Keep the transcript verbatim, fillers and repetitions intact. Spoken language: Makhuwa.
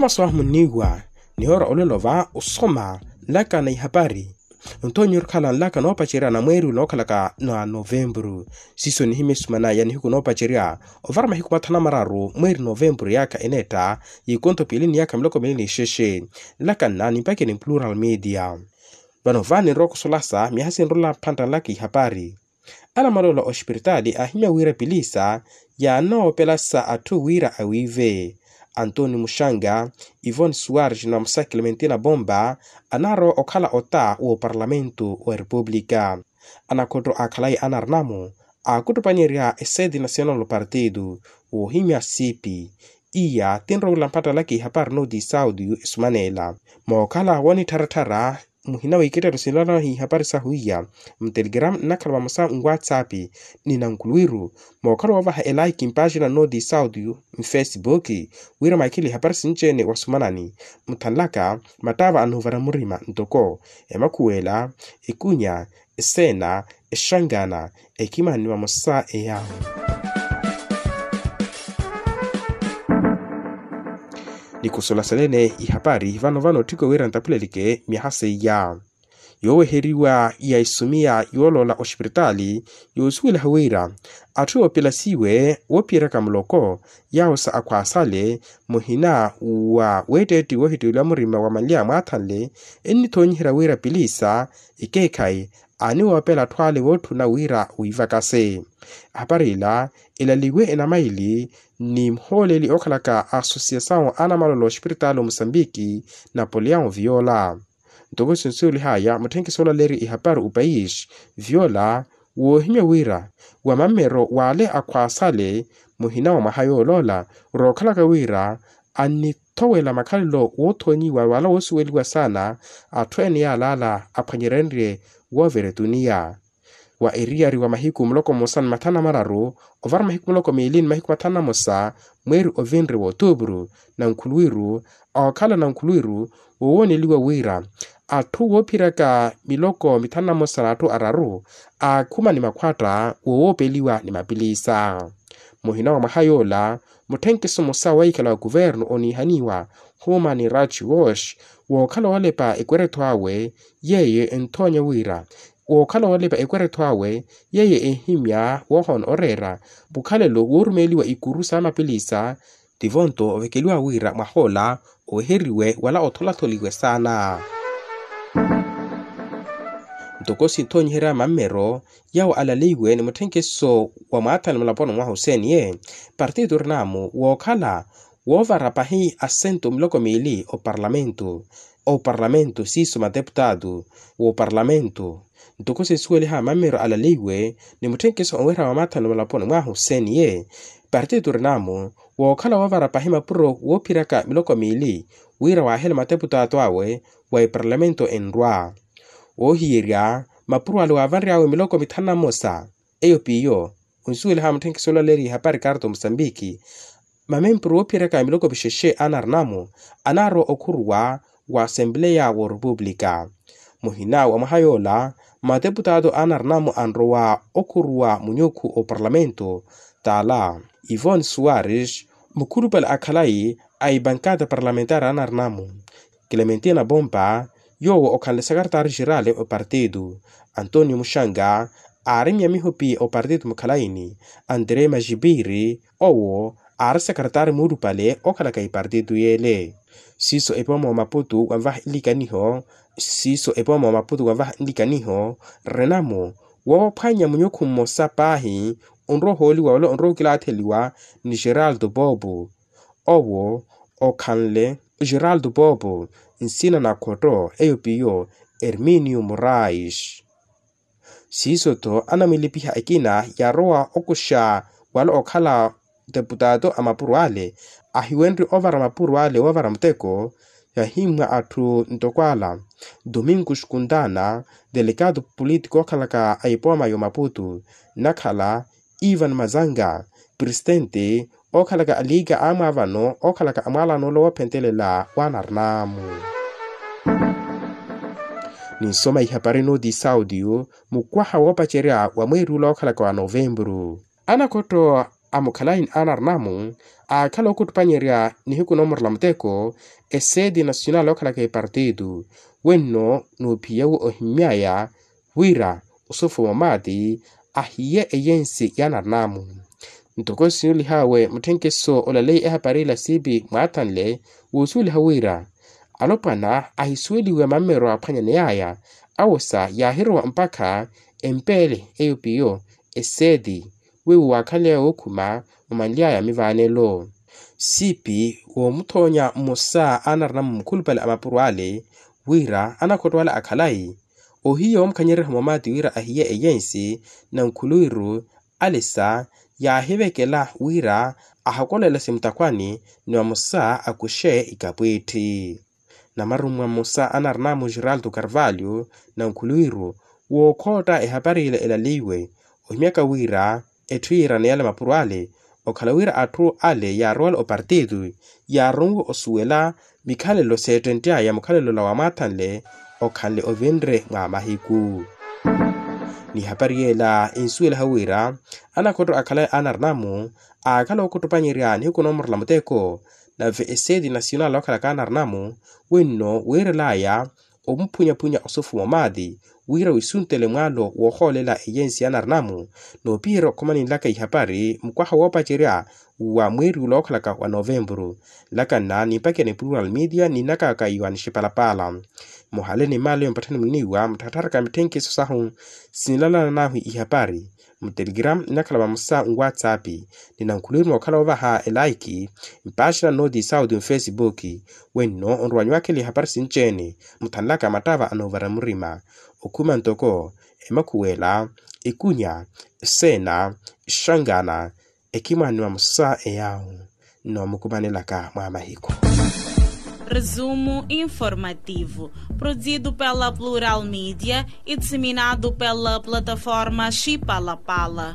Masu ahu munniiwa nihoora olelo va osoma nlaka na ihapari. Onthoonyi orikhala nlaka noopacerya na mweeri ule nookhalaka na novempuru. Siiso nihimya esumana ya nihiku noopacerya ovara mahiku mathanu na mararu mweeri novempuru yaakha eneetta, yikontho piili ni yaakha miloko miili ni ixexe. Nlaka nna nimpakeni plural media. Vano va ninrowa okusolasa miyaha sinrola mphantta nlaka ihapari. Anamaloolo oxipiritaali aahimya wira pilisa yaanoopelasa atthu wira awiive. Antoni muxanga, ivoni suwarji na musa clementina bomba anaarowa okhala ota w'oparlamentu wa repupulika. Anakhotto aakhalayi anarinamu aakuttupanyerya eseti nasional partidu woohimya sipi. Iya tinrowela mpattalaka ihapari nooti saudi esumaneela mookhala wonittharatthara. Muhina w'iketteru sinlala ihapari sahu iya mutelegramu nnakhala vamosa nwatsapp ni nankhuluwiru mookhala woovaha elaiki mpaaxina nooti saudi mfesibuki wira mwakhile ihapari sinci-ene wasumanani. Muthanlaka mattaava anoovara murima ntoko emakhuwela, ekunya, eseena, exangana, ekimani vamosa eya. Ni khusola selene ihapari vano vano otthiko wira ntaphuleleke myaha seiya yooweheriwa ya isumiya yooloola oxipiritaali yoosuwelaha wira atthu yoopilasiwe woophiyeraka muloko yaawo sa akhwaasale muhina wa weetteetti woohittiweliwa murima wa manlya mwaathanle ennithoonyiherya wira pilisa ekeekhayi aaniwoopela atthu ale wootthuna wira wiivakase. Ahapari ila elaliwe enamaili ni muhooleli ookhalaka asosiyasawu anamaloolo oxipiritaali omusambiki napoleon viola. Ntoko sinsuwelihaya mutthenkiso olaleyerya ihapari opayisi viola woohimya wira wa mammero w'ale akhwaasale muhina wa mwaha yooloola rookhalaka wira annithowela makhalelo woothoonyiwa wala woosuweliwa saana atthu ene yaalaala aphwanyerenrye wooveretuniya. Wa eriyari wa mahiku muloko mmosa ni mathanu na mararu ovara mahiku muloko miili ni mahiku mathanu na mmosa mweeri ovinre w'otuupuru nankhuluwiru ookhala nankhuluwiru woowoneliwa wira atthu woophiryaka miloko mithanu na mmosa n'atthu araru aakhuma ni makhwatta woowoopeliwa ni mapilisa. Muhina wa mwaha yoola mutthenkiso mmosa wa ikhala wa kuvernu oniihaniwa humani raj wosh wookhala woolepa ekweretho awe yeeye enthoonya wira wookhala woolepa ekweretho awe yeeye ehimya woohoona oreera mukhalelo woorumeeliwa ikuru sa mapilisa. Tivonto ovekeliwa wira mwahoola oweheriwe wala otholatholiwe saana. Ntoko sinthoonyiherya mammero yawo alaleiwe ni mutthenkeso wa mwaathani mulaponi mwahu seniye partitu orinamu wookhala woovara pahi asento miloko miili oparlamentu oparlamentu siiso mateputatu wooparlamentu. Ntoko sinsuweliha mammero alaleiwe ni mutthenkeso owerya wa mwaathani mulaponi mwahu seniye partitu orinamu wookhala woovara pahi mapuro woophiryaka miloko miili wira waahela mateputaato awe wa eparlamento enrwa woohiyerya mapuro ale waavanry'awe miloko mithanu na mmosa. Eyo piyo onsuweliha mutthenkiso olaleeriye hapari karto musambiki mamempuro woophiyeryaka miloko vixexe anarinamu anaarowa okhuruwa wa asempleya w'orepupulika. Muhina wa mwaha yoola mateputaato anarinamu anrowa okhuruwa munyukhu oparlamentu taala ivon suwaris mukhulupale a khalayi a ipankata parlamentari anarinamu clementina pompa yoowo okhanle sakaritari xerali opartitu antonio muxanga aari myamihopi opartitu mukhalayini antere maxipiri owo aari sakaritari muulupale okhalaka ipartitu yeele. Siiso epooma wa maputu wanvaha nlikaniho siiso epooma wa maputu wanvaha nlikaniho renamu woophwanya munyukhu mmosa paahi onrowa ohooliwa wala onrowa okilaatheliwa ni geraldo popo owo okhanle geraldo popo nsina na khotto eyo piyo erminio morais. Siiso-tho anamwilipiha ekina yaarowa okuxa wala okhala deputato a mapuro ale ahiwenrye ovara mapuro ale woovara muteko yahimmwa atthu ntoko ala domingo xikuntana delegado politiko okhalaka a ipooma y'omaputu nnakhala ivan mazanga presitenti okhalaka aliika amwaavano okhalaka amwaalano ole woophentelela waanarinamu. Ninsoma ihapari nooti saudio mukwaha woopacerya wa mweeri ula okhalaka wa novempuru anakhotto A mukhalayi anarina-mu aakhala ookhuttupanyerya nihiku noomurela muteko, eseeti nasionali okhalaka epartito wenno noophiyawe ohimmyaya wira osofuma omaati ahiye eyensi y'anarina-mu. Ntoko sinulihawe mutthenkeso olaleyi ehapari ila siipi mwaathanle woosuweliha wira alopwana ahisuweliwe mammeryo aaphwanyaneyaya awosa yaahirowa mpakha empeele eyo piyo eseeti wiiwo waakhanly'aya wookhuma omanly'aya mivaanelo. Siipi woomuthoonya mmosa a anarina-mu mukhulupale a mapuro ale wira anakhotto ale akhalayi ohiya woomukhanyererya moomaati wira ahiye eyensi nankhuluwiru alisa yaahivekela wira ahakolela simutakhwani ni vamosa akuxe ikapwiitti. Namarummwa mmosa anarina-mu geraldo carvalho nankhuluwiru wookhootta ehapari ila elaliiwe ohimyaka wira etthu yiirane yale mapuro ale okhala wira atthu ale yaarowale opartito yaaronwe osuwela mikhalelo s'ettentt'aya mukhalelo ola waamwaathanle okhanle ovinre mwa mahiku. Ni ehapari yeela ensuwelaha wira anakhotto akhala anarina-mu aakhala ookhuttupanyerya nihiku noomurela muteko nave eseeti nasionali okhalaka anarina-mu wenno wiirel'aya omuphunyaphunnya osofuma omaati wira wisuntele mwaalo woohoolela eyensi y'anarina-mu noopiherya okhuma ninlaka ihapari mukwaha woopacerya wa mweeri ula ookhalaka wa novempuru. Nlaka nna nimpacerya ni plural media ni nnakaka iwa nixipalapala muhale ni maalo yo mpatthani muniiwa mutthattharaka mitthenkiso sahu sinlalana nahu ihapari mutelegram nnakhala vamosa nwatsapp ni nankhuluwiru mookhala oovaha elaiki mpaaxina nnooti sauti mufesibuki wenno onrowa nyuwakhela ihapari sinci-ene muthanlaka mattava anoovara murima okhuma ntoko emakhuwela ikunya seena exangana ekimwaaniwa musa eyawu nnoomukumanelaka mwa mahiku. Resumo informativo, produzido pela Plural Media e disseminado pela plataforma Xipalapala.